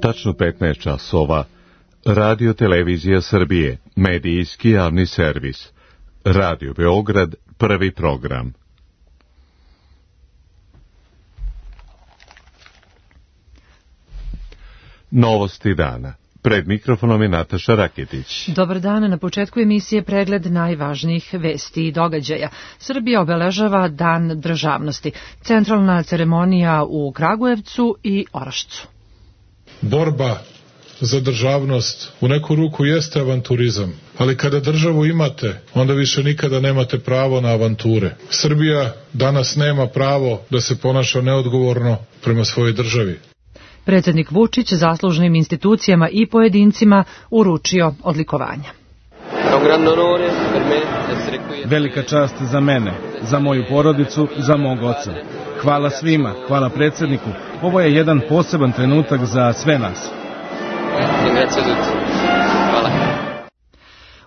Tačno 15 časova. Radio Televizija Srbije, medijski javni servis. Radio Beograd, prvi program. Novosti dana. Pred mikrofonom je Nataša Raketić. Dobar dan, na početku emisije pregled najvažnijih vesti i događaja. Srbija obeležava Dan državnosti. Centralna ceremonija u Kragujevcu i Orašcu. Borba za državnost u neku ruku jeste avanturizam, ali kada državu imate, onda više nikada nemate pravo na avanture. Srbija danas nema pravo da se ponaša neodgovorno prema svojoj državi. Predsjednik Vučić zaslužnim institucijama i pojedincima uručio odlikovanja. Velika čast za mene, za moju porodicu, za mog oca. Hvala svima, hvala predsjedniku. Ovo je jedan poseban trenutak za sve nas.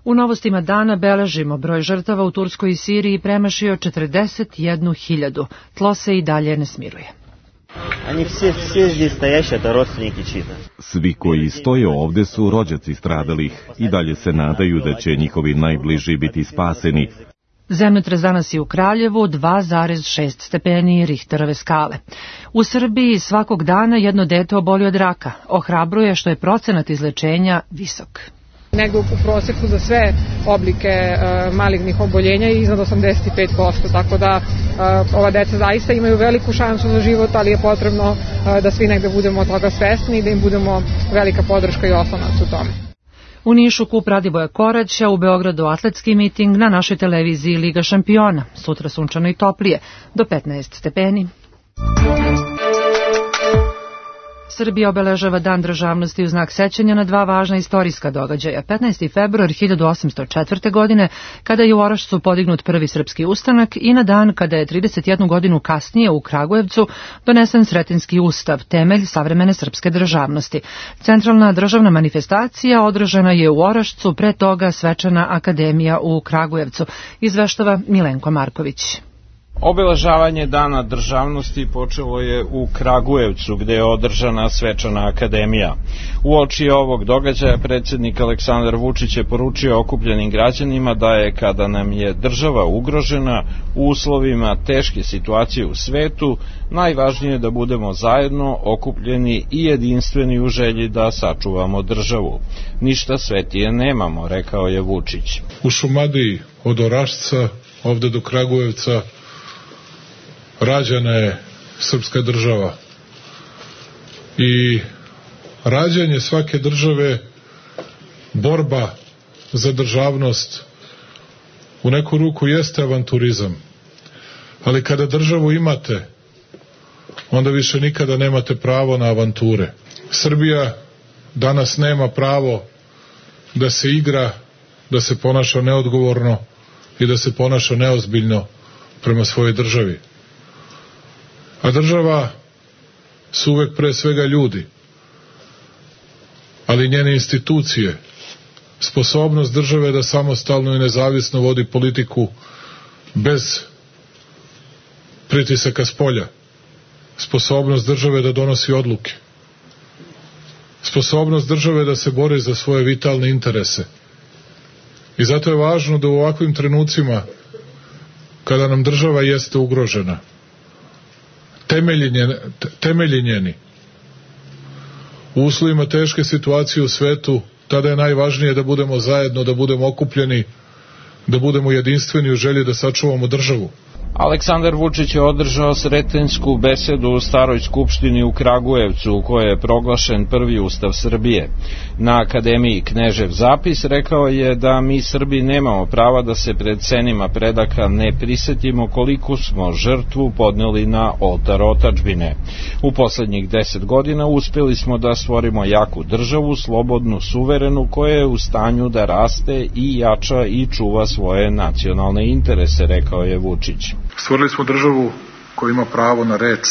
U novostima dana beležimo broj žrtava u Turskoj i Siriji premašio 41.000. Tlo se i dalje ne smiruje. Svi koji stoje ovde su rođaci stradalih i dalje se nadaju da će njihovi najbliži biti spaseni. Zemljotres danas je u Kraljevu 2,6 stepeni Richterove skale. U Srbiji svakog dana jedno dete oboli od raka. Ohrabruje što je procenat izlečenja visok. Negde u proseku za sve oblike malignih oboljenja je iznad 85%, tako da ova deca zaista imaju veliku šansu za život, ali je potrebno da svi negde budemo od toga svesni i da im budemo velika podrška i oslonac u tome. U Nišu kup Radivoja Koraća, u Beogradu atletski miting, na našoj televiziji Liga šampiona. Sutra sunčano i toplije, do 15 stepeni. Srbija obeležava Dan državnosti u znak sećanja na dva važna istorijska događaja. 15. februar 1804. godine, kada je u Orašcu podignut prvi srpski ustanak, i na dan kada je 31 godinu kasnije u Kragujevcu donesen Sretenjski ustav, temelj savremene srpske državnosti. Centralna državna manifestacija održana je u Orašcu, pre toga svečana akademija u Kragujevcu, izveštava Milenko Marković. Obeležavanje Dana državnosti počelo je u Kragujevcu, gde je održana svečana akademija. Uoči ovog događaja predsjednik Aleksandar Vučić je poručio okupljenim građanima da je, kada nam je država ugrožena u uslovima teške situacije u svetu, najvažnije da budemo zajedno okupljeni i jedinstveni u želji da sačuvamo državu. Ništa svetije nemamo, rekao je Vučić. U Šumadiji od Orašca ovde do Kragujevca rađena je srpska država i rađanje svake države, borba za državnost u neku ruku jeste avanturizam, ali kada državu imate, onda više nikada nemate pravo na avanture. Srbija danas nema pravo da se igra, da se ponaša neodgovorno i da se ponaša neozbiljno prema svojoj državi. A država su uvek pre svega ljudi, ali njene institucije, sposobnost države da samostalno i nezavisno vodi politiku bez pritisaka spolja, sposobnost države da donosi odluke, sposobnost države da se bori za svoje vitalne interese. I zato je važno da u ovakvim trenucima, kada nam država jeste ugrožena, temelji njeni, u uslovima teške situacije u svetu, tada je najvažnije da budemo zajedno, da budemo okupljeni, da budemo jedinstveni u želji da sačuvamo državu. Aleksandar Vučić je održao sretenjsku besedu u Staroj skupštini u Kragujevcu, u kojoj je proglašen prvi ustav Srbije. Na akademiji Knežev zapis rekao je da mi Srbi nemamo prava da se pred senima predaka ne prisetimo koliko smo žrtvu podneli na oltar otadžbine. U poslednjih 10 godina uspeli smo da stvorimo jaku državu, slobodnu, suverenu, koja je u stanju da raste i jača i čuva svoje nacionalne interese, rekao je Vučić. Stvorili smo državu koja ima pravo na reč,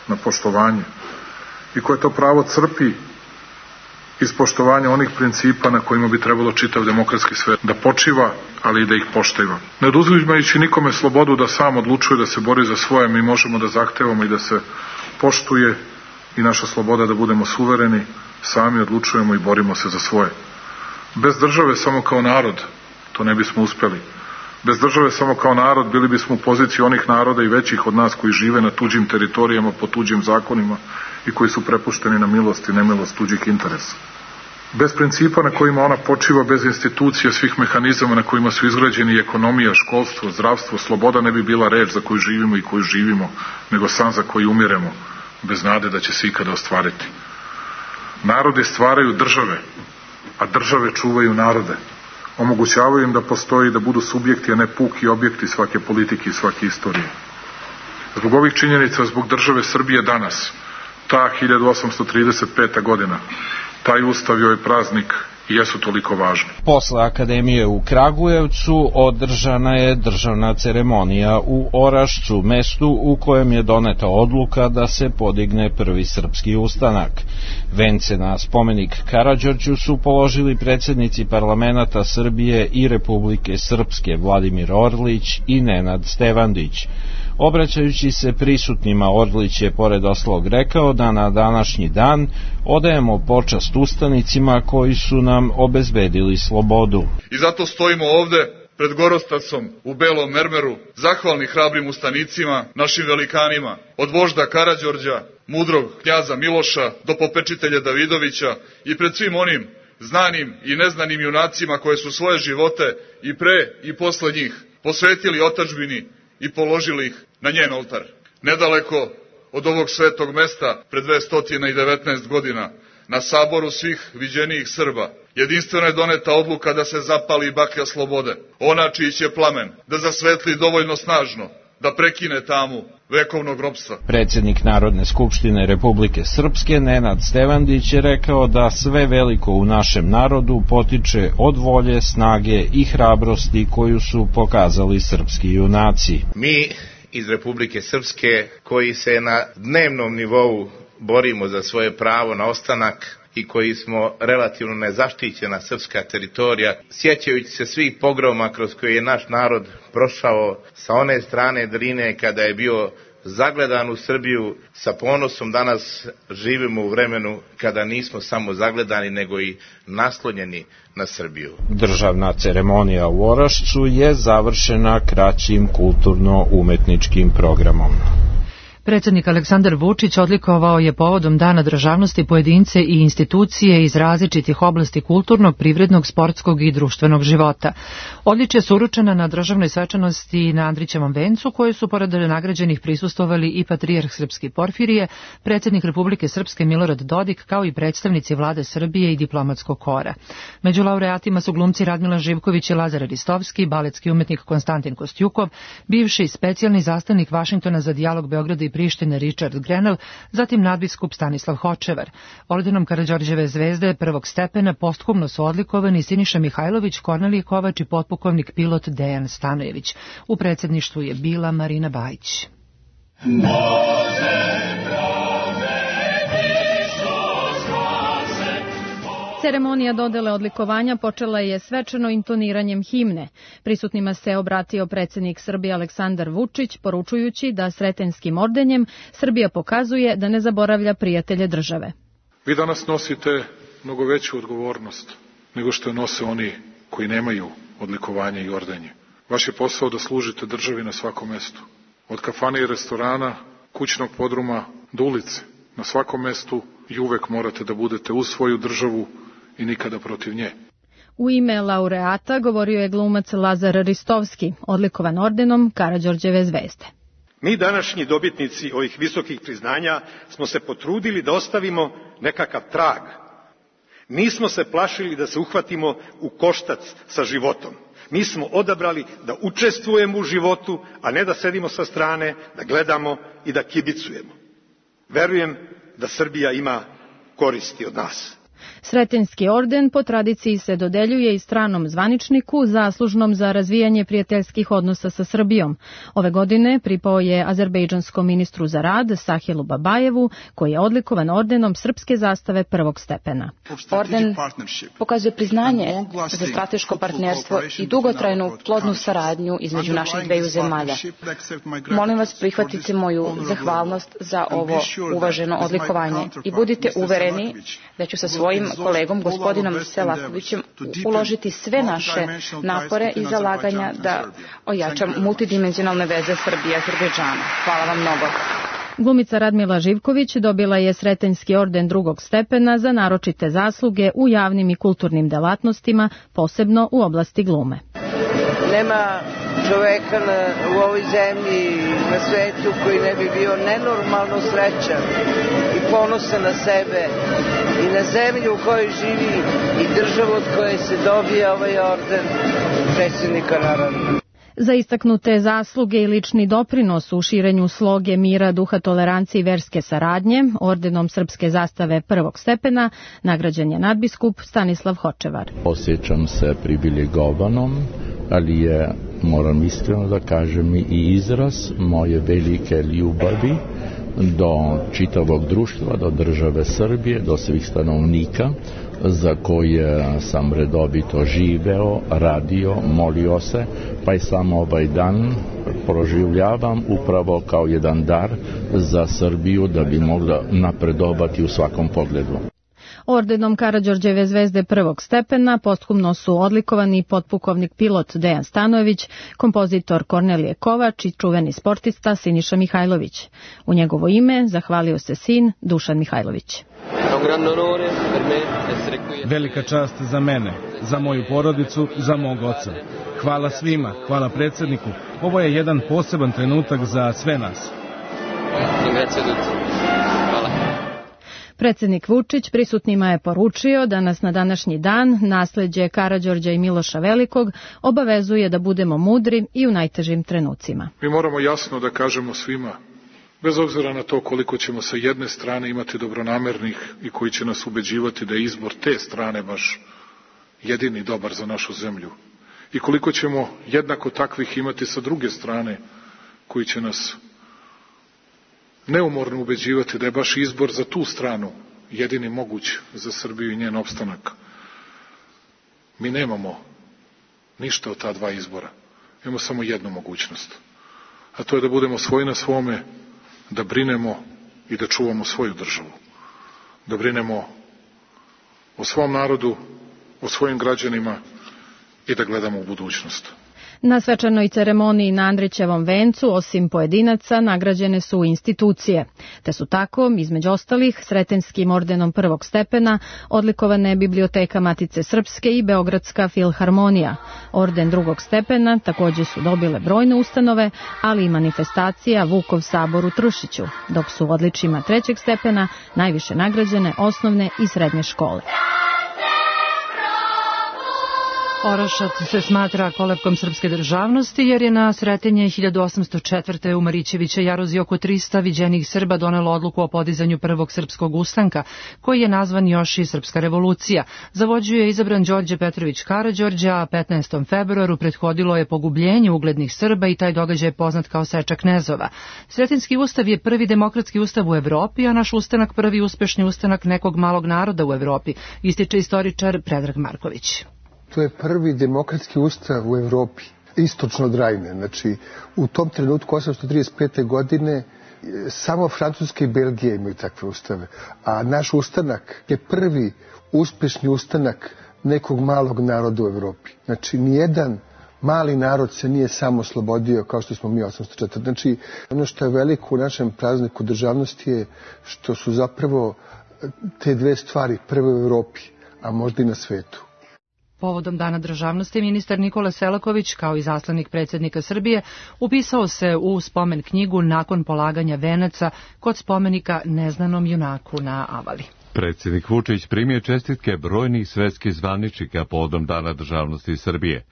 na poštovanje i koja to pravo crpi iz poštovanja onih principa na kojima bi trebalo čitav demokratski svet da počiva, ali i da ih poštiva. Ne oduzimajući nikome slobodu da sam odlučuje da se bori za svoje, mi možemo da zahtevamo i da se poštuje i naša sloboda da budemo suvereni, sami odlučujemo i borimo se za svoje. Bez države samo kao narod to ne bismo uspeli. Bez države samo kao narod bili bismo u poziciji onih naroda i većih od nas koji žive na tuđim teritorijama, po tuđim zakonima i koji su prepušteni na milost i nemilost tuđih interesa. Bez principa na kojima ona počiva, bez institucija, svih mehanizama na kojima su izgrađeni ekonomija, školstvo, zdravstvo, sloboda ne bi bila reč za koju živimo i koju živimo, nego san za koji umiremo, bez nade da će se ikada ostvariti. Narodi stvaraju države, a države čuvaju narode. Omogućavaju im da postoji, da budu subjekti, a ne puki objekti svake politike i svake istorije. Zbog ovih činjenica, zbog države Srbije danas, ta 1835. godina, taj ustav i ovaj praznik jesu toliko važni. Posle Akademije u Kragujevcu održana je državna ceremonija u Orašcu, mestu u kojem je doneta odluka da se podigne prvi srpski ustanak. Vence na spomenik Karađorđu su položili predsjednici parlamenata Srbije i Republike Srpske Vladimir Orlić i Nenad Stevandić. Obraćajući se prisutnima, Orlić je pored ostalog rekao da na današnji dan odajemo počast ustanicima koji su nam obezbedili slobodu. I zato stojimo ovde pred Gorostacom u belom mermeru, zahvalni hrabrim ustanicima, našim velikanima, od vožda Karađorđa, mudrog knjaza Miloša do popečitelja Davidovića i pred svim onim znanim i neznanim junacima koje su svoje živote i pre i posle njih posvetili otadžbini i položili ih na njen oltar. Nedaleko od ovog svetog mesta, pred 219 godina, na saboru svih viđenijih Srba, jedinstveno je doneta odluka da se zapali baklja slobode, ona čiji će plamen da zasvetli dovoljno snažno, da prekine tamu vekovnog ropstva. Predsjednik Narodne skupštine Republike Srpske Nenad Stevandić je rekao da sve veliko u našem narodu potiče od volje, snage i hrabrosti koju su pokazali srpski junaci. Mi iz Republike Srpske koji se na dnevnom nivou borimo za svoje pravo na ostanak i koji smo relativno nezaštićena srpska teritorija, sjećajući se svih pogroma kroz koje je naš narod prošao sa one strane Drine kada je bio zagledan u Srbiju, sa ponosom danas živimo u vremenu kada nismo samo zagledani nego i naslonjeni na Srbiju. Državna ceremonija u Orašcu je završena kraćim kulturno-umetničkim programom. Predsjednik Aleksandar Vučić odlikovao je povodom Dana državnosti pojedince i institucije iz različitih oblasti kulturnog, privrednog, sportskog i društvenog života. Odličje su uručena na državnoj svečanosti na Andrićevom vencu, koje su pored nagrađenih prisustvovali i patrijarh Srpski Porfirije, predsjednik Republike Srpske Milorad Dodik, kao i predstavnici vlade Srbije i diplomatskog kora. Među laureatima su glumci Radmila Živković i Lazar Ristovski, baletski umetnik Konstantin Kostjukov, bivši specijalni zastavnik Vašingtona za dijalog Beograda i Prištine Richard Grenell, zatim nadbiskup Stanislav Hočevar. Ordenom Karađorđeve zvezde prvog stepena posthumno su odlikovani Siniša Mihajlović, Kornelije Kovač i potpukovnik pilot Dejan Stanojević. U predsjedništvu je bila Marina Bajić. Ceremonija dodele odlikovanja počela je svečano intoniranjem himne. Prisutnima se obratio predsjednik Srbije Aleksandar Vučić, poručujući da Sretenskim ordenjem Srbija pokazuje da ne zaboravlja prijatelje države. Vi danas nosite mnogo veću odgovornost nego što je nose oni koji nemaju odlikovanje i ordenje. Vaš je posao da služite državi na svakom mestu. Od kafane i restorana, kućnog podruma do ulice. Na svakom mestu i uvek morate da budete uz svoju državu i nikada protiv nje. U ime laureata govorio je glumac Lazar Ristovski, odlikovan ordenom Karađorđeve zvezde. Mi današnji dobitnici ovih visokih priznanja smo se potrudili da ostavimo nekakav trag. Nismo se plašili da se uhvatimo u koštac sa životom. Mi smo odabrali da učestvujemo u životu, a ne da sedimo sa strane, da gledamo i da kibicujemo. Verujem da Srbija ima koristi od nas. Sretenjski orden po tradiciji se dodeljuje i stranom zvaničniku zaslužnom za razvijanje prijateljskih odnosa sa Srbijom. Ove godine pripao je azerbejdžanskom ministru za rad Sahilu Babajevu, koji je odlikovan ordenom srpske zastave prvog stepena. Orden pokazuje priznanje za strateško partnerstvo i dugotrajnu plodnu saradnju između naših dveju zemalja. Molim vas, prihvatite moju zahvalnost za ovo uvaženo odlikovanje i budite uvereni da ću sa svojim kolegom, gospodinom Selakovićem, uložiti sve naše napore i zalaganja da ojačam multidimenzionalne veze Srbije i Azerbejdžana. Hvala vam mnogo. Glumica Radmila Živković dobila je Sretenjski orden drugog stepena za naročite zasluge u javnim i kulturnim delatnostima, posebno u oblasti glume. Nema čoveka u ovoj zemlji, na svetu, koji ne bi bio nenormalno srećan i ponosan na sebe i na zemlju u kojoj živi i državu od koje se dobija ovaj orden predsjednika naroda. Za istaknute zasluge i lični doprinos u širenju sloge mira, duha tolerancije i verske saradnje, ordenom srpske zastave prvog stepena nagrađen je nadbiskup Stanislav Hočevar. Osjećam se privilegovanom, ali je, moram iskreno da kažem, i izraz moje velike ljubavi do čitavog društva, do države Srbije, do svih stanovnika za koje sam redovito živeo, radio, molio se, pa i sam ovaj dan proživljavam upravo kao jedan dar za Srbiju da bi mogla napredovati u svakom pogledu. Ordenom Karađorđeve zvezde prvog stepena posthumno su odlikovani potpukovnik pilot Dejan Stanojević, kompozitor Kornelije Kovač i čuveni sportista Siniša Mihajlović. U njegovo ime zahvalio se sin Dušan Mihajlović. Velika čast za mene, za moju porodicu, za mog oca. Hvala svima, hvala predsjedniku. Ovo je jedan poseban trenutak za sve nas. Predsjednik Vučić prisutnima je poručio da nas na današnji dan nasleđe Karađorđa i Miloša Velikog obavezuje da budemo mudri i u najtežim trenucima. Mi moramo jasno da kažemo svima, bez obzira na to koliko ćemo sa jedne strane imati dobronamernih i koji će nas ubeđivati da je izbor te strane baš jedini dobar za našu zemlju, i koliko ćemo jednako takvih imati sa druge strane koji će nas neumorno ubeđivati da je baš izbor za tu stranu jedini moguć za Srbiju i njen opstanak. Mi nemamo ništa od ta dva izbora. Imamo samo jednu mogućnost. A to je da budemo svoji na svome, da brinemo i da čuvamo svoju državu. Da brinemo o svom narodu, o svojim građanima i da gledamo u budućnost. Na svečanoj ceremoniji na Andrićevom vencu, osim pojedinaca, nagrađene su institucije, te su tako, između ostalih, Sretenjskim ordenom prvog stepena odlikovane Biblioteka Matice Srpske i Beogradska filharmonija. Orden drugog stepena također su dobile brojne ustanove, ali i manifestacija Vukov sabor u Trušiću, dok su odličjima trećeg stepena najviše nagrađene osnovne i srednje škole. Orašac se smatra kolevkom srpske državnosti jer je na Sretenje 1804. u Marićevića jaruzi oko 300 viđenih Srba donelo odluku o podizanju prvog srpskog ustanka, koji je nazvan još i Srpska revolucija. Za vođu je izabran Đorđe Petrović Karađorđe, a 15. februaru prethodilo je pogubljenje uglednih Srba i taj događaj je poznat kao Seča knezova. Sretenjski ustav je prvi demokratski ustav u Evropi, a naš ustanak prvi uspešni ustanak nekog malog naroda u Evropi, ističe istoričar Predrag Marković. To je prvi demokratski ustav u Evropi, istočno od Rajne. Znači, u tom trenutku, 835. godine, samo Francuska i Belgija imaju takve ustave. A naš ustanak je prvi uspešni ustanak nekog malog naroda u Evropi. Znači, nijedan mali narod se nije samo oslobodio kao što smo mi 804. Znači, ono što je veliko u našem prazniku državnosti je što su zapravo te dve stvari prve u Evropi, a možda i na svetu. Povodom Dana državnosti ministar Nikola Selaković, kao i zaslanik predsjednika Srbije, upisao se u spomen knjigu nakon polaganja venaca kod spomenika neznanom junaku na Avali. Predsjednik Vučić primio čestitke brojnih svetskih zvaničnika povodom Dana državnosti Srbije.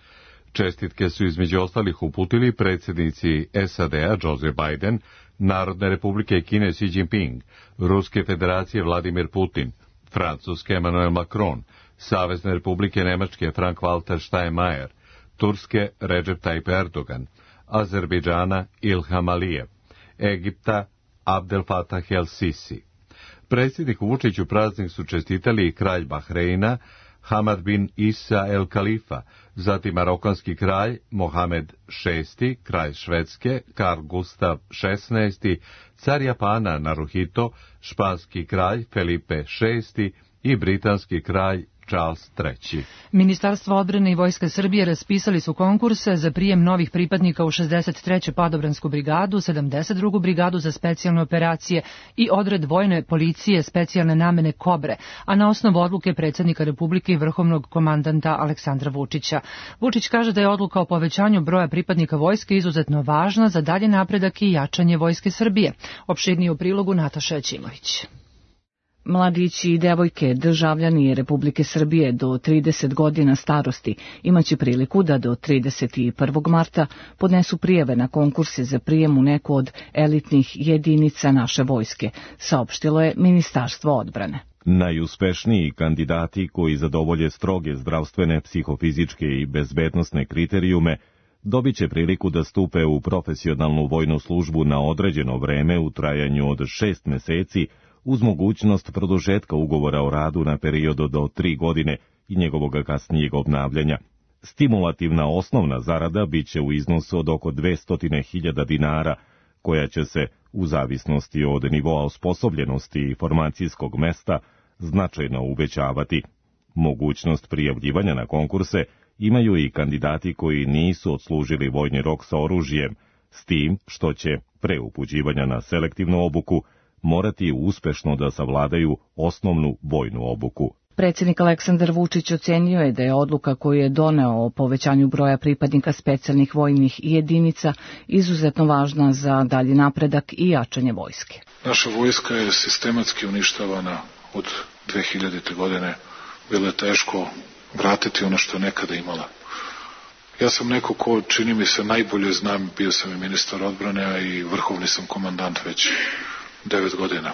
Čestitke su između ostalih uputili predsjednici SAD-a Joe Biden, Narodne republike Kine Xi Jinping, Ruske federacije Vladimir Putin, Francuske Emmanuel Macron, Savezne republike Nemačke Frank-Walter Steinmeier, Turske Recep Tayyip Erdogan, Azerbejdžana Ilham Alijev, Egipta Abdel Fattah el-Sisi. Predsjedniku Vučiću praznik su čestitali i kralj Bahreina Hamad bin Isa el-Khalifa, zatim marokanski kralj Mohamed VI, kralj Švedske Karl Gustav XVI, car Japana Naruhito, španski kralj Felipe VI i britanski kralj Charles III. Ministarstvo odbrane i Vojska Srbije raspisali su konkurse za prijem novih pripadnika u 63. padobransku brigadu, 72. brigadu za specijalne operacije i odred vojne policije specijalne namene Kobre, a na osnovu odluke predsjednika Republike i vrhovnog komandanta Aleksandra Vučića. Vučić kaže da je odluka o povećanju broja pripadnika vojske izuzetno važna za dalje napredak i jačanje Vojske Srbije. Opširnije u prilogu Nataša Ćimović. Mladići i devojke, državljani Republike Srbije do 30 godina starosti imaće priliku da do 31. marta podnesu prijave na konkurse za prijem u neku od elitnih jedinica naše vojske, saopštilo je Ministarstvo odbrane. Najuspešniji kandidati koji zadovolje stroge zdravstvene, psihofizičke i bezbednosne kriterijume dobit će priliku da stupe u profesionalnu vojnu službu na određeno vreme u trajanju od 6 meseci uz mogućnost produžetka ugovora o radu na period do 3 godine i njegovog kasnijeg obnavljanja. Stimulativna osnovna zarada bit će u iznosu od oko 200.000 dinara, koja će se, u zavisnosti od nivoa osposobljenosti i formacijskog mesta, značajno uvećavati. Mogućnost prijavljivanja na konkurse imaju i kandidati koji nisu odslužili vojni rok sa oružjem, s tim što će, pre upućivanja na selektivnu obuku, morati uspešno da savladaju osnovnu vojnu obuku. Predsjednik Aleksandar Vučić ocenio je da je odluka koju je doneo o povećanju broja pripadnika specijalnih vojnih jedinica izuzetno važna za dalji napredak i jačanje vojske. Naša vojska je sistematski uništavana od 2000. godine. Bilo je teško vratiti ono što je nekada imala. Ja sam neko ko, čini mi se, najbolje znam, bio sam i ministar odbrane, a i vrhovni sam komandant već 9 godina.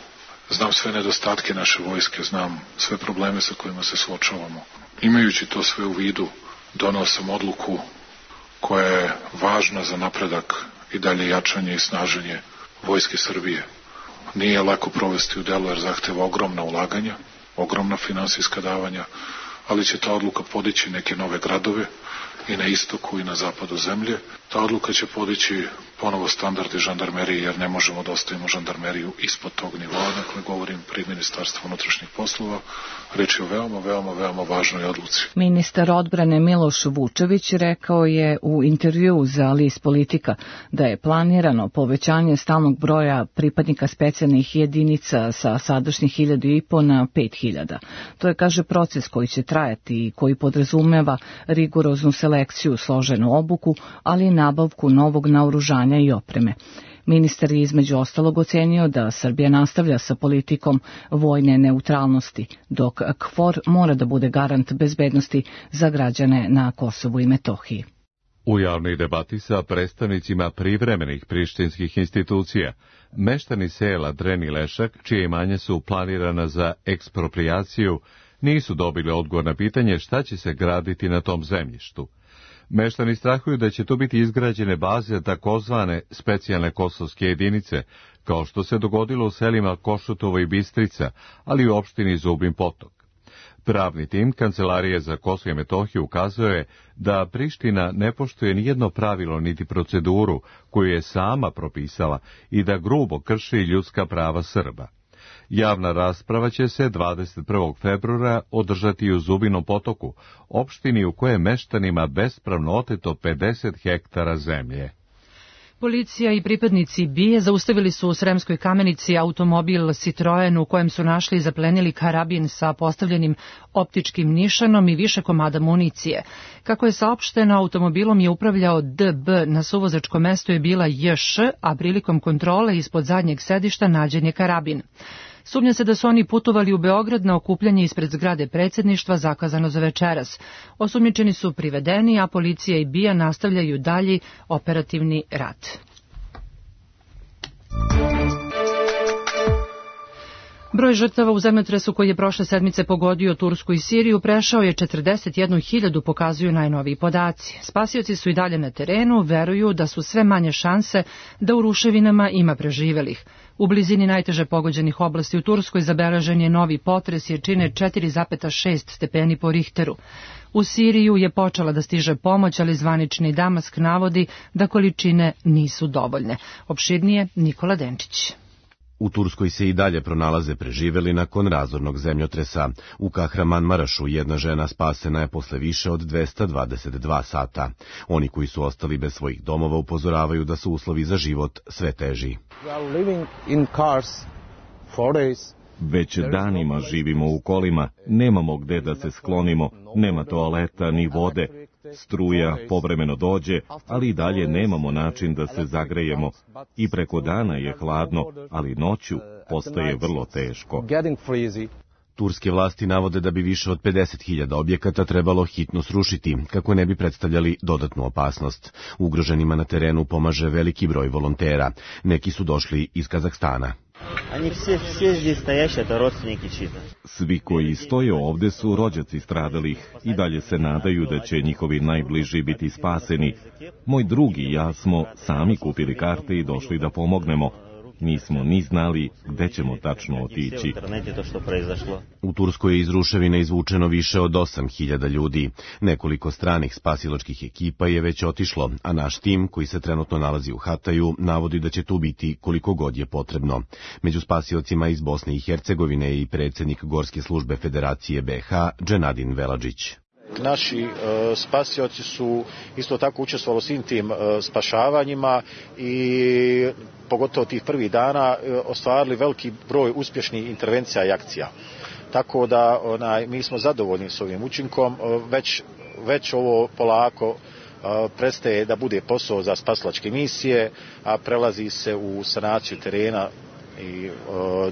Znam sve nedostatke naše vojske, znam sve probleme sa kojima se suočavamo. Imajući to sve u vidu, donao sam odluku koja je važna za napredak i dalje jačanje i snaženje Vojske Srbije. Nije lako provesti u delu jer zahteva ogromna ulaganja, ogromna finansijska davanja, ali će ta odluka podići neke nove gradove i na istoku i na zapadu zemlje. Ta odluka će podići ponovo standardi žandarmerije, jer ne možemo da ostavimo žandarmeriju ispod tog nivoa, dakle govorim pri Ministarstvu unutrašnjih poslova. Reč je o veoma važnoj odluci. Ministar odbrane Miloš Vučević rekao je u intervjuu za list Politika da je planirano povećanje stalnog broja pripadnika specijalnih jedinica sa sadašnjih 1.500 na 5.000. To je, kaže, proces koji će trajati i koji podrazumeva rigoroznu selekciju, složenu obuku, ali i nabavku novog naoružanja i opreme. Ministar je između ostalog ocenio da Srbija nastavlja sa politikom vojne neutralnosti, dok KFOR mora da bude garant bezbednosti za građane na Kosovu i Metohiji. U javnoj debati sa predstavnicima privremenih prištinskih institucija, meštani sela Dren i Lešak, čije imanje su planirana za eksproprijaciju, nisu dobili odgovor na pitanje šta će se graditi na tom zemljištu. Meštani strahuju da će tu biti izgrađene baze takozvane specijalne kosovske jedinice, kao što se dogodilo u selima Košutovo i Bistrica, ali i u opštini Zubin Potok. Pravni tim Kancelarije za Kosovo i Metohiju ukazuje da Priština ne poštuje nijedno pravilo niti proceduru koju je sama propisala i da grubo krši ljudska prava Srba. Javna rasprava će se 21. februara održati u Zubinom Potoku, opštini u kojoj je meštanima bespravno oteto 50 hektara zemlje. Policija i pripadnici BIA zaustavili su u Sremskoj Kamenici automobil Citroen u kojem su našli i zaplenili karabin sa postavljenim optičkim nišanom i više komada municije. Kako je saopšteno, automobilom je upravljao DB, na suvozačkom mestu je bila JŠ, a prilikom kontrole ispod zadnjeg sedišta nađen je karabin. Sumnja se da su oni putovali u Beograd na okupljanje ispred zgrade predsjedništva zakazano za večeras. Osumnjičeni su privedeni, a policija i BIA nastavljaju dalji operativni rad. Broj žrtava u zemljotresu koji je prošle sedmice pogodio Tursku i Siriju prešao je 41.000, pokazuju najnoviji podaci. Spasioci su i dalje na terenu, veruju da su sve manje šanse da u ruševinama ima preživelih. U blizini najteže pogođenih oblasti u Turskoj zabeležen je novi potres jačine 4,6 stepeni po Richteru. U Siriju je počela da stiže pomoć, ali zvanični Damask navodi da količine nisu dovoljne. Opširnije Nikola Denčić. U Turskoj se i dalje pronalaze preživeli nakon razornog zemljotresa. U Kahramanmarašu jedna žena spasena je posle više od 222 sata. Oni koji su ostali bez svojih domova upozoravaju da su uslovi za život sve teži. Već danima živimo u kolima, nemamo gde da se sklonimo, nema toaleta ni vode. Struja povremeno dođe, ali i dalje nemamo način da se zagrejemo. I preko dana je hladno, ali noću postaje vrlo teško. Turske vlasti navode da bi više od 50.000 objekata trebalo hitno srušiti, kako ne bi predstavljali dodatnu opasnost. Ugroženima na terenu pomaže veliki broj volontera. Neki su došli iz Kazahstana. Svi koji stoje ovde su rođaci stradalih i dalje se nadaju da će njihovi najbliži biti spaseni. Moj drug i ja smo sami kupili karte i došli da pomognemo. Nismo ni znali gde ćemo tačno otići. U Turskoj je iz ruševina izvučeno više od 8.000 ljudi. Nekoliko stranih spasilačkih ekipa je već otišlo, a naš tim, koji se trenutno nalazi u Hataju, navodi da će tu biti koliko god je potrebno. Među spasiocima iz Bosne i Hercegovine je i predsjednik Gorske službe Federacije BH, Dženadin Veladžić. Naši spasioci su isto tako učestvovali u svim tim spašavanjima i pogotovo tih prvih dana ostvarili veliki broj uspješnih intervencija i akcija. Tako da mi smo zadovoljni s ovim učinkom, već ovo polako prestaje da bude posao za spasilačke misije, a prelazi se u sanaciju terena i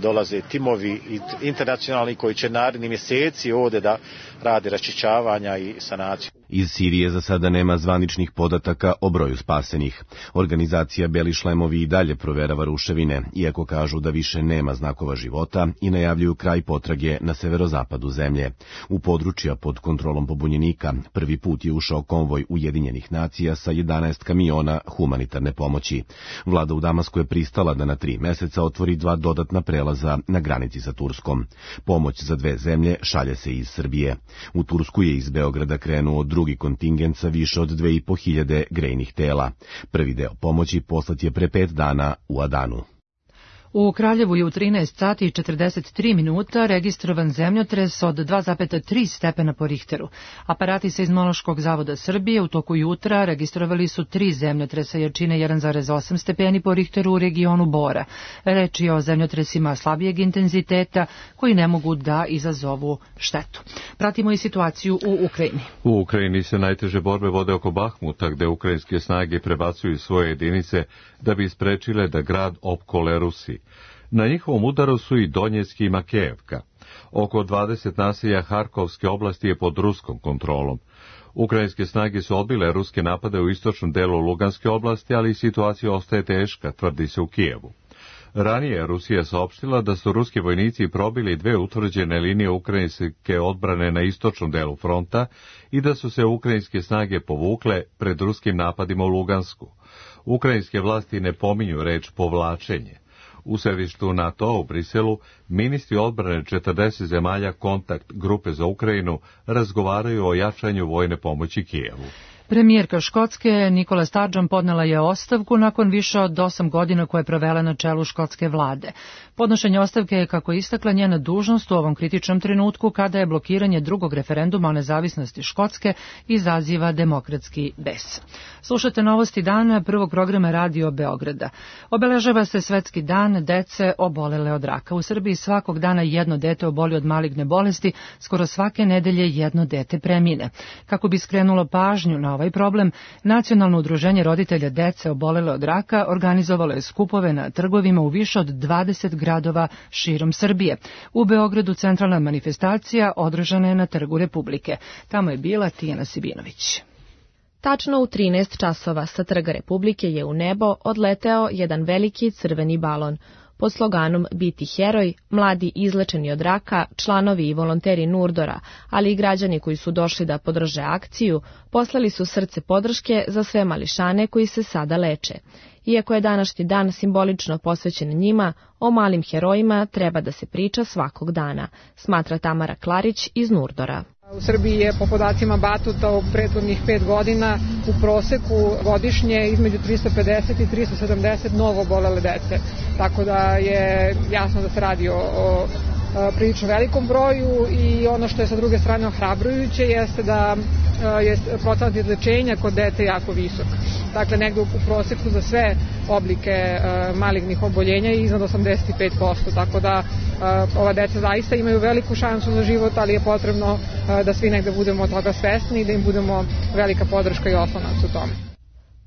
dolaze timovi internacionalni koji će naredni mjeseci ovdje da rade raščišćavanja i sanaciju. Iz Sirije za sada nema zvaničnih podataka o broju spasenih. Organizacija Beli šlemovi i dalje proverava ruševine, iako kažu da više nema znakova života i najavljuju kraj potrage na severozapadu zemlje. U područja pod kontrolom pobunjenika prvi put je ušao konvoj Ujedinjenih nacija sa 11 kamiona humanitarne pomoći. Vlada u Damasku je pristala da na 3 meseca otvori 2 dodatna prelaza na granici sa Turskom. Pomoć za 2 zemlje šalje se iz Srbije. U Tursku je iz Beograda krenuo drugi kontingent sa više od 2.500 grejnih tela. Prvi deo pomoći poslat je pre 5 dana u Adanu. U Kraljevu je u 13 sati i 43 minuta registrovan zemljotres od 2,3 stepena po Richteru. Aparati Seizmološkog zavoda Srbije u toku jutra registrovali su 3 zemljotresa jačine 1,8 stepeni po Richteru u regionu Bora. Reč je o zemljotresima slabijeg intenziteta koji ne mogu da izazovu štetu. Pratimo i situaciju u Ukrajini. U Ukrajini se najteže borbe vode oko Bahmuta, gde ukrajinske snage prebacuju svoje jedinice da bi sprečile da grad opkole Rusi. Na njihovom udaru su i Donjecki i Makejevka. Oko 20 naselja Harkovske oblasti je pod ruskom kontrolom. Ukrajinske snage su odbile ruske napade u istočnom delu Luganske oblasti, ali situacija ostaje teška, tvrdi se u Kijevu. Ranije Rusija saopštila da su ruski vojnici probili 2 utvrđene linije ukrajinske odbrane na istočnom delu fronta i da su se ukrajinske snage povukle pred ruskim napadima u Lugansku. Ukrajinske vlasti ne pominju reč povlačenje. U sedištu NATO u Briselu ministri odbrane 40 zemalja Kontakt grupe za Ukrajinu razgovaraju o jačanju vojne pomoći Kijevu. Premijerka Škotske Nikola Sturgeon podnela je ostavku nakon više od 8 godina koje je provela na čelu škotske vlade. Podnošenje ostavke je, kako je istakla, njena dužnost u ovom kritičnom trenutku kada je blokiranje drugog referenduma o nezavisnosti Škotske izaziva demokratski bes. Slušate novosti dana prvog programa Radio Beograda. Obeležava se Svetski dan dece obolele od raka. U Srbiji svakog dana jedno dete oboli od maligne bolesti, skoro svake nedelje jedno dete premine. Kako bi skrenulo pažnju na ovaj problem, Nacionalno udruženje roditelja dece obolele od raka organizovalo je skupove na trgovima u više od 20 gradova širom Srbije. U Beogradu centralna manifestacija održana je na Trgu Republike. Tamo je bila Tijana Sibinović. Tačno u 13 časova sa Trga Republike je u nebo odleteo jedan veliki crveni balon. Pod sloganom Biti heroj, mladi izlečeni od raka, članovi i volonteri Nurdora, ali i građani koji su došli da podrže akciju, poslali su srce podrške za sve mališane koji se sada leče. Iako je današnji dan simbolično posvećen njima, o malim herojima treba da se priča svakog dana, smatra Tamara Klarić iz Nurdora. U Srbiji je po podacima Batuta u prethodnih 5 godina u proseku godišnje između 350 i 370 novo obolele dece. Tako da je jasno da se radi o prilično velikom broju i ono što je sa druge strane ohrabrujuće jeste da je procenat izlečenja kod dece jako visok. Dakle, negde u proseku za sve oblike malignih oboljenja je iznad 85%, tako da ova deca zaista imaju veliku šansu za život, ali je potrebno da svi negde budemo toga svesni i da im budemo velika podrška i oslonac u tome.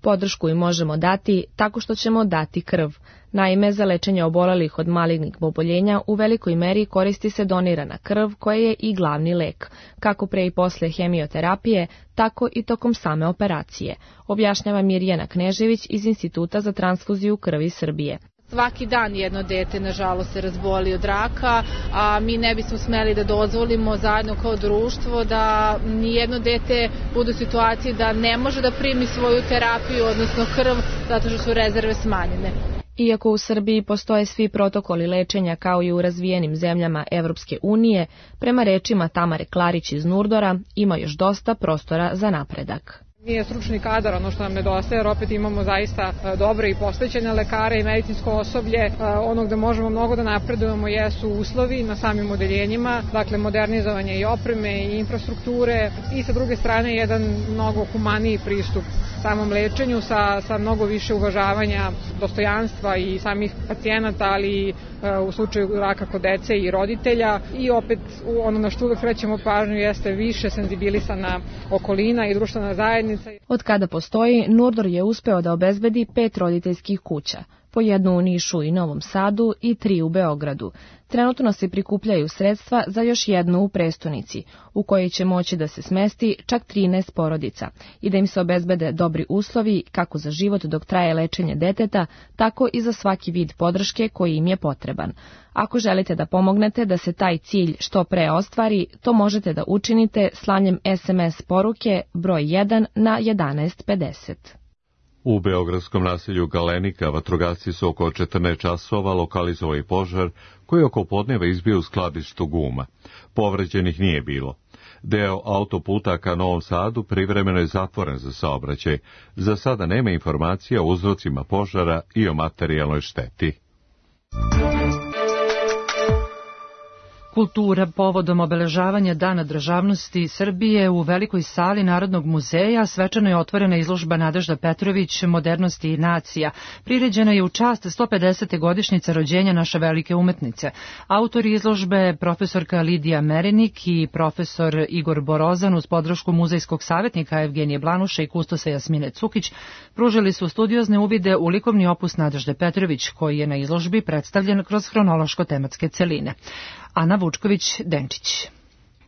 Podršku im možemo dati tako što ćemo dati krv. Naime, za lečenje obolelih od malignih oboljenja u velikoj meri koristi se donirana krv koja je i glavni lek, kako pre i posle hemioterapije, tako i tokom same operacije, objašnjava Mirjana Knežević iz Instituta za transfuziju krvi Srbije. Svaki dan jedno dete, nažalost, se razboli od raka, a mi ne bismo smeli da dozvolimo zajedno kao društvo da nijedno dete bude u situaciji da ne može da primi svoju terapiju, odnosno krv, zato što su rezerve smanjene. Iako u Srbiji postoje svi protokoli lečenja kao i u razvijenim zemljama Evropske unije, prema rečima Tamare Klarić iz Nurdora ima još dosta prostora za napredak. Nije stručni kadar ono što nam nedostaje, jer opet imamo zaista dobre i posvećene lekare i medicinsko osoblje. Ono gde možemo mnogo da napredujemo jesu uslovi na samim odeljenjima, dakle modernizovanje i opreme i infrastrukture i sa druge strane jedan mnogo humaniji pristup samom lečenju sa mnogo više uvažavanja dostojanstva i samih pacijenata, ali u slučaju raka kod dece i roditelja. I opet ono na što uvek krećemo pažnju jeste više senzibilisana okolina i društvena zajednica. Od kada postoji, Nurdor je uspeo da obezbedi 5 roditeljskih kuća, po jednu u Nišu i Novom Sadu i 3 u Beogradu. Trenutno se prikupljaju sredstva za još jednu u prestonici, u kojoj će moći da se smesti čak 13 porodica i da im se obezbede dobri uslovi kako za život dok traje lečenje deteta, tako i za svaki vid podrške koji im je potreban. Ako želite da pomognete da se taj cilj što pre ostvari, to možete da učinite slanjem SMS poruke broj 1 na 1150. U beogradskom naselju Galenika vatrogasci su oko 14 časova lokalizovali požar koji oko podneva izbio u skladištu guma. Povređenih nije bilo. Deo autoputa ka Novom Sadu privremeno je zatvoren za saobraćaj. Za sada nema informacija o uzrocima požara i o materijalnoj šteti. Kultura povodom obeležavanja Dana državnosti Srbije u velikoj sali Narodnog muzeja svečano je otvorena izložba Nadežda Petrović Modernosti i nacija. Priređena je u čast 150. godišnjice rođenja naše velike umetnice. Autori izložbe profesorka Lidija Merenik i profesor Igor Borozan uz podršku muzejskog savjetnika Evgenije Blanuša i kustosa Jasmine Cukić pružili su studiozne uvide u likovni opus Nadežde Petrović koji je na izložbi predstavljen kroz hronološko-tematske celine. Ana Vučković-Denčić.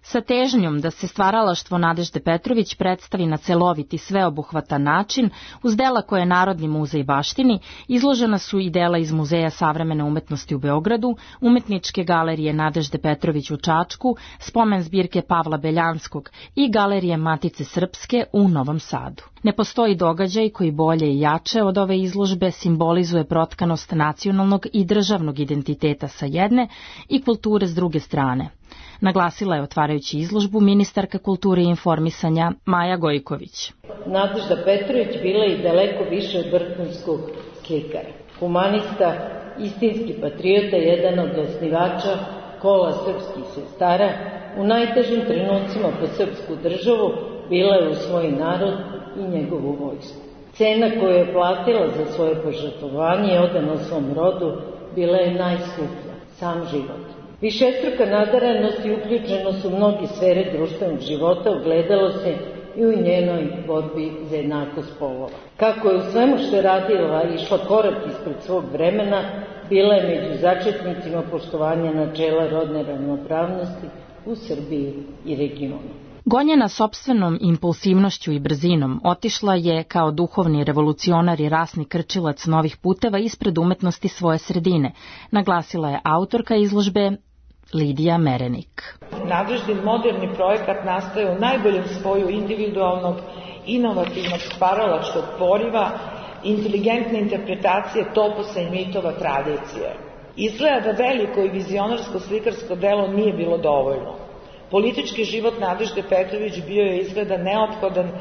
Sa težnjom da se stvaralaštvo Nadežde Petrović predstavi na celovit i sveobuhvatan način, uz dela koje Narodni muzej baštini, izložena su i dela iz Muzeja savremene umetnosti u Beogradu, Umetničke galerije Nadežde Petrović u Čačku, spomen zbirke Pavla Beljanskog i Galerije Matice Srpske u Novom Sadu. Ne postoji događaj koji bolje i jače od ove izložbe simbolizuje protkanost nacionalnog i državnog identiteta sa jedne i kulture s druge strane. Naglasila je otvarajući izložbu ministarka kulture i informisanja Maja Gojković. Nadežda Petrović bila je daleko više od vrhunskog slikara. Humanista, istinski patriota, jedan od osnivača kola srpskih sestara, u najtežim trenucima po srpsku državu bila je u svoj narod i njegovu vojsku. Cena koju je platila za svoje požrtvovanje i odanost svom rodu bila je najskuplja, sam život. Višestruka nadaranost i uključenost u mnogi sfere društvenog života ogledalo se i u njenoj borbi za jednakost polova. Kako je u svemu što je radila išla korak ispred svog vremena, bila je među začetnicima poštovanja načela rodne ravnopravnosti u Srbiji i regionu. Gonjena sopstvenom impulsivnošću i brzinom, otišla je kao duhovni revolucionar i rasni krčilac novih puteva ispred umetnosti svoje sredine, naglasila je autorka izložbe Lidija Merenik. Nadeždin moderni projekat nastaje u najboljem spoju individualnog, inovativnog stvaralačkog poriva, inteligentne interpretacije toposa i mitova tradicije. Izgleda da veliko i vizionarsko slikarsko delo nije bilo dovoljno. Politički život Nadežde Petrović bio je izgleda neophodan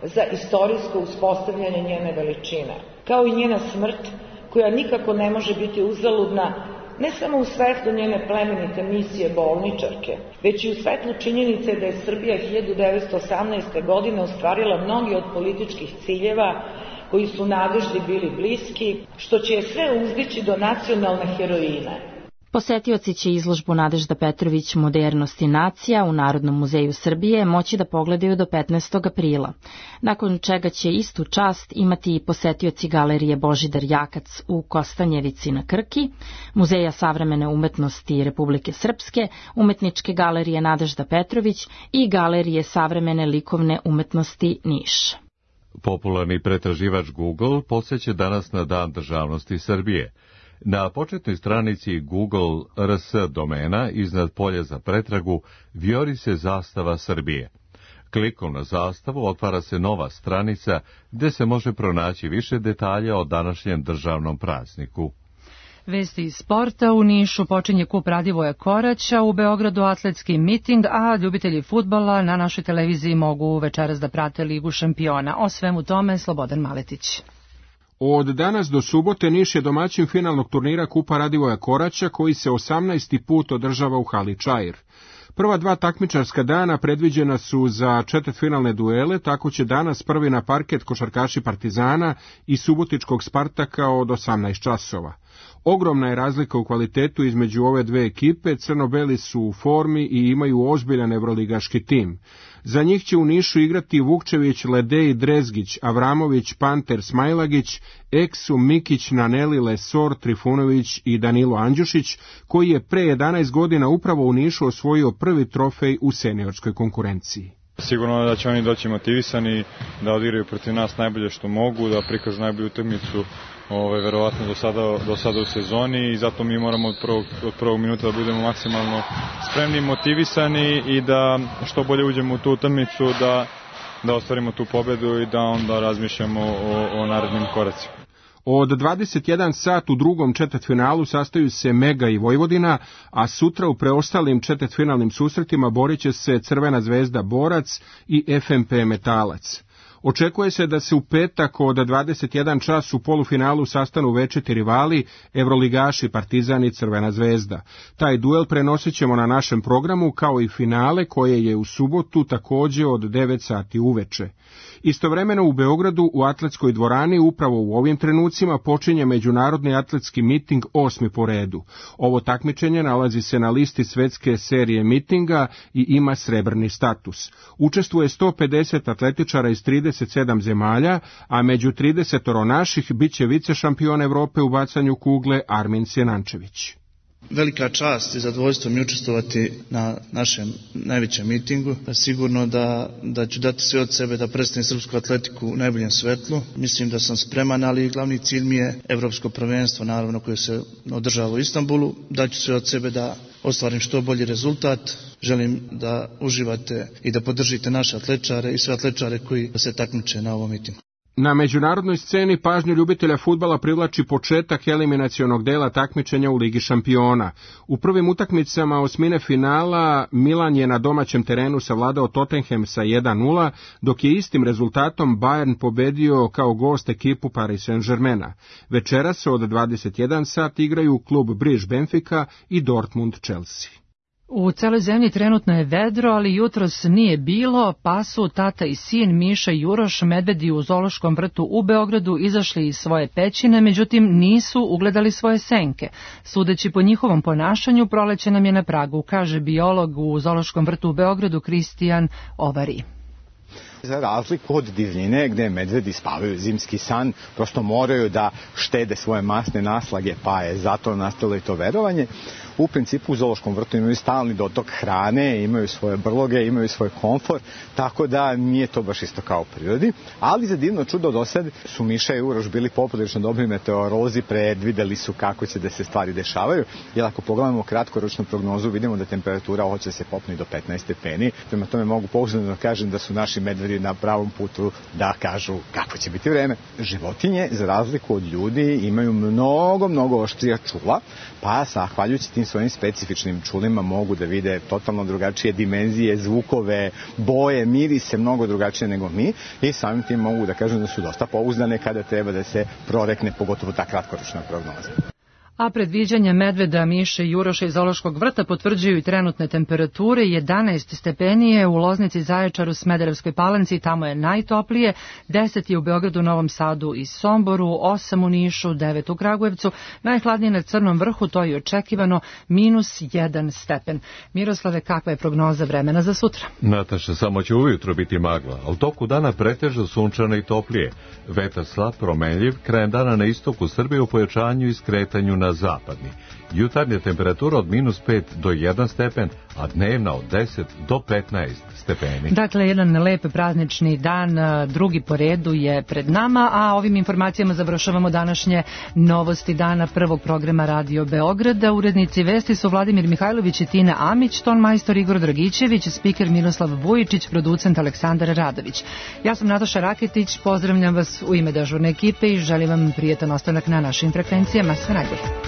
za istorijsko uspostavljanje njene veličine, kao i njena smrt, koja nikako ne može biti uzaludna, ne samo u svetlu njene plemenite misije bolničarke, već i u svetlu činjenice da je Srbija 1918. godine ostvarila mnogi od političkih ciljeva koji su Nadeždi bili bliski, što će je sve uzdići do nacionalne heroine. Posetioci će izložbu Nadežda Petrović Modernost i nacija u Narodnom muzeju Srbije moći da pogledaju do 15. aprila, nakon čega će istu čast imati i posetioci galerije Božidar Jakac u Kostanjevici na Krki, Muzeja savremene umetnosti Republike Srpske, Umetničke galerije Nadežda Petrović i Galerije savremene likovne umetnosti Niš. Popularni pretraživač Google posjeća danas na Dan državnosti Srbije. Na početnoj stranici Google RS domena iznad polja za pretragu vijori se zastava Srbije. Klikom na zastavu otvara se nova stranica gdje se može pronaći više detalja o današnjem državnom prazniku. Vesti iz sporta. U Nišu počinje kup Radivoja Koraća, u Beogradu atletski miting, a ljubitelji fudbala na našoj televiziji mogu večeras da prate Ligu šampiona. O svemu tome Slobodan Maletić. Od danas do subote Niš je domaćin finalnog turnira kupa Radivoja Koraća koji se 18. put održava u hali Čair. Prva dva takmičarska dana predviđena su za četvrtfinalne duele, tako će danas prvi na parket košarkaši Partizana i subotičkog Spartaka od 18 časova. Ogromna je razlika u kvalitetu između ove dve ekipe, crno-beli su u formi i imaju ozbiljan evroligaški tim. Za njih će u Nišu igrati Vukčević, Ledej, Drezgić, Avramović, Panter, Smajlagić, Eksu, Mikić, Naneli, Lesor, Trifunović i Danilo Andjušić, koji je pre 11 godina upravo u Nišu osvojio prvi trofej u seniorskoj konkurenciji. Sigurno da će oni doći motivisani, da odigraju protiv nas najbolje što mogu, da prikažu najbolju utakmicu verovatno do sada u sezoni i zato mi moramo od prvog minuta da budemo maksimalno spremni, motivisani i da što bolje uđemo u tu utakmicu, da ostvarimo tu pobedu i da onda razmišljamo o narednim koracima. Od 21 sat u drugom četvrtfinalu sastaju se Mega i Vojvodina, a sutra u preostalim četvrtfinalnim susretima borit će se Crvena zvezda Borac i FMP Metalac. Očekuje se da se u petak od 21 čas u polufinalu sastanu večiti rivali, evroligaši Partizan i Crvena zvezda. Taj duel prenosit ćemo na našem programu kao i finale koje je u subotu također od 9 sati uveče. Istovremeno u Beogradu u atletskoj dvorani upravo u ovim trenucima počinje međunarodni atletski miting 8. po redu. Ovo takmičenje nalazi se na listi svetske serije mitinga i ima srebrni status. Učestvuje 150 atletičara iz 37 zemalja, a među 30 naših bit će vice šampion Evrope u bacanju kugle Armin Sjenančević. Velika čast i zadovoljstvo mi učestvovati na našem najvećem mitingu. Sigurno da ću dati sve od sebe da predstavim srpsku atletiku u najboljem svetlu. Mislim da sam spreman, ali glavni cilj mi je evropsko prvenstvo, naravno, koje se održava u Istanbulu. Daću sve od sebe da ostvarim što bolji rezultat. Želim da uživate i da podržite naše atletičare i sve atletičare koji se takmiče na ovom mitingu. Na međunarodnoj sceni pažnju ljubitelja fudbala privlači početak eliminacionog dela takmičenja u Ligi šampiona. U prvim utakmicama osmine finala Milan je na domaćem terenu savladao Tottenham sa 1:0, dok je istim rezultatom Bayern pobedio kao gost ekipu Paris Saint-Germaina. Večeras od 21 sat igraju klub Briž Benfica i Dortmund Chelsea. U celoj zemlji trenutno je vedro, ali jutros nije bilo, pa su tata i sin Miša i Uroš medvedi u zoološkom vrtu u Beogradu izašli iz svoje pećine, međutim nisu ugledali svoje senke. Sudeći po njihovom ponašanju, proleće nam je na pragu, kaže biolog u zoološkom vrtu u Beogradu Kristijan Ovari. Za razliku od divljine gde medvedi spavaju zimski san, prosto moraju da štede svoje masne naslage, pa je zato nastalo i to verovanje. u principu u zoološkom vrtu imaju stalni dotok hrane, imaju svoje brloge, imaju svoj komfor, tako da nije to baš isto kao u prirodi. Ali za divno čudo do sad su Miša i Uroš bili poprilično dobri meteorolozi, predvideli su kako će da se stvari dešavaju. Jer ako pogledamo kratkoročnu prognozu, vidimo da temperatura hoće se popne do 15 stepeni. Prema tome mogu pouzdano da kažem da su naši medvedi na pravom putu da kažu kako će biti vreme. Životinje, za razliku od ljudi, imaju mnogo oštrija čula, pa zahvaljujući tim svojim specifičnim čulima mogu da vide totalno drugačije dimenzije, zvukove, boje, mirise, mnogo drugačije nego mi i samim tim mogu da kažem da su dosta pouzdane kada treba da se prorekne, pogotovo ta kratkoročna prognoza. A predviđanja medveda, miše i Uroša iz zoološkog vrta potvrđuju i trenutne temperature. 11 stepeni je u Loznici, Zaječaru, Smederevskoj Palanci, tamo je najtoplije, 10 je u Beogradu, Novom Sadu i Somboru, 8 u Nišu, 9 u Kragujevcu, najhladnije na Crnom vrhu, to je očekivano, -1 stepen. Miroslave, kakva je prognoza vremena za sutra? Nataša, samo će ujutro biti magla, ali toku dana pretežno sunčano i toplije. Vetar slab, promenljiv, krajem dana na istoku Srbije u pojačanju i skretanju na zapadni. Jutarnja temperatura od -5 do 1 stepen, a dnevna od 10 do 15 stepeni. Dakle, jedan lep praznični dan, drugi po redu je pred nama, a ovim informacijama završavamo današnje novosti dana prvog programa Radio Beograda. Urednici vesti su Vladimir Mihajlović i Tina Amić, ton majstor Igor Dragićević, spiker Miroslav Vujičić, producent Aleksandar Radović. Ja sam Nataša Raketić, pozdravljam vas u ime dežurne ekipe i želim vam prijetan ostanak na našim frekvencijama. Sve najbolje.